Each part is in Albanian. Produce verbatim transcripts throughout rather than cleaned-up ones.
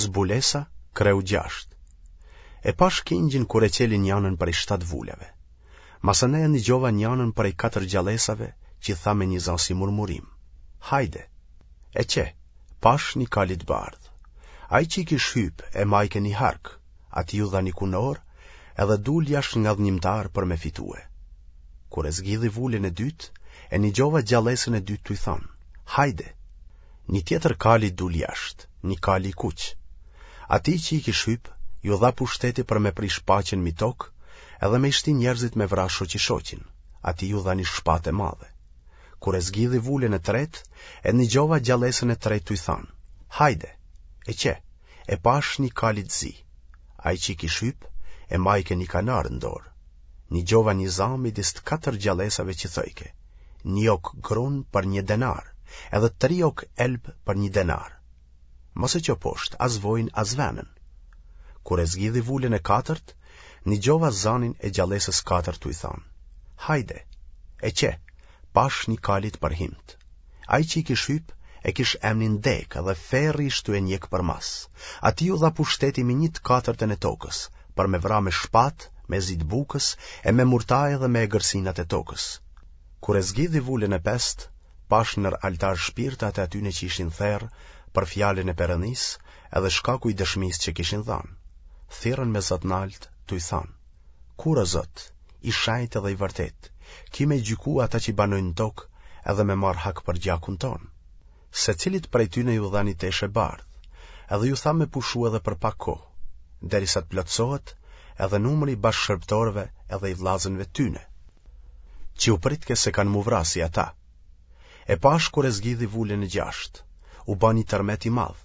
Zbulesa, kreu gjashtë. E pashë Kingjin kur e çeli njanën prej shtatë vulave. Masanej e nigjova njanën prej katër gjallesave që tha me një za si murmurimë. Hajde! E qe, pashë një kali të bardhë. Ai që i kish hypë e majke një hark, atij iu dha një kunorë edhe dul jashtë ngadhnjimtar për me fitue. Kur e zgidhi vulën e dytë, e nigjova gjallesën e dytë tuj thanë, Hajde! Një tjetër kali dul jashtë, një kali i kuq. Atij që i kish hypë, iu dha pushteti për me prish paqen mi tokë edhe me i shti njerëzit me vra shoqi-shoqin, atij iu dha një shpatë e madhe. Kur e zgidhi vulën e tretë, e nigjova gjallesën e tretë tuj thanë, Hajde! E qe, e pashë një kali të zi. Ai që i kish hypë, e majke një kanar në dorë. Nigjova një za midis të katër gjallesave që thojke, Një okë grun për një denar, edhe tri okë elb për një denar. Mos e ço poshtë as vojin as venën. Kur e zgidhi vulën e katërt, nigjova zanin e gjallesës katërt tuj thanë, Hajde! E qe, pashë një kali të përhimtë. Ai që i kish hypë, e kish emnin Dekë dhe ferri ish tu e njekë përmas. Atij iu dha pushteti mi një të katërtën e tokës, për me vra me shpatë, me zi të bukës, e me murtajë dhe me egërsinat e tokës. Kur e zgidhi vulën e pestë, pashë nër altar shpirtat e atyne që ishin therë për fjalën e Perëndisë edhe shkaku i dëshmisë që kishin dhanë. Thirrën me za të naltë, tuj thanë, Kur, o Zot, i shenjtë edhe i vërtetë, ki me gjykue ata që banojnë në tokë edhe me marrë hak për gjakun tonë? Secilit prej tyne iu dha një teshë e bardhë, edhe iu tha me pushu edhe për pak kohë, derisa të plotësohet edhe numri i bashkëshërbëtorëve edhe i vëllazënve të tyne, që u pritke se kanë m'u vra si ata. E pashë kur e zgidhi vulën e gjashtë, u ba një tërmet i madh,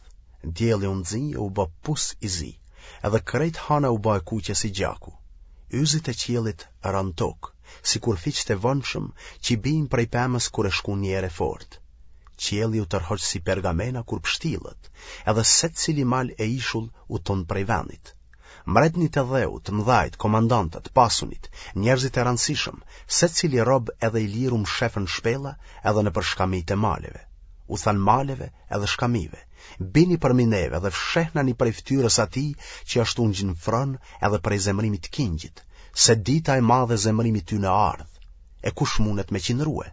dielli u nxi e u ba pus i zi, edhe krejt hana u ba e kuqe si gjaku. Yzit e qiellit ranë n'tokë, sikur fiqtë e vonshëm që bijnë prej pemës kur e shkun një erë e fortë. Qielli u tërhoq si pergamena kur pështillet, edhe secili mal e ishull u tund prej vendit. Mbretnit e dheut, të mëdhajt, komandantët, të pasunit, njerëzit e rëndësishëm, secili rob edhe i lirë u mshefën në shpella edhe nëpër shkamijtë e maleve. U thanë maleve edhe shkamive, bini përmi neve dhe fshehnani prej fytyrës atij që është ungjë në fron edhe prej zemërimit të Kingjit, se dita e madhe e zemërimit tyne ardhë, e kush mundet me qindrue?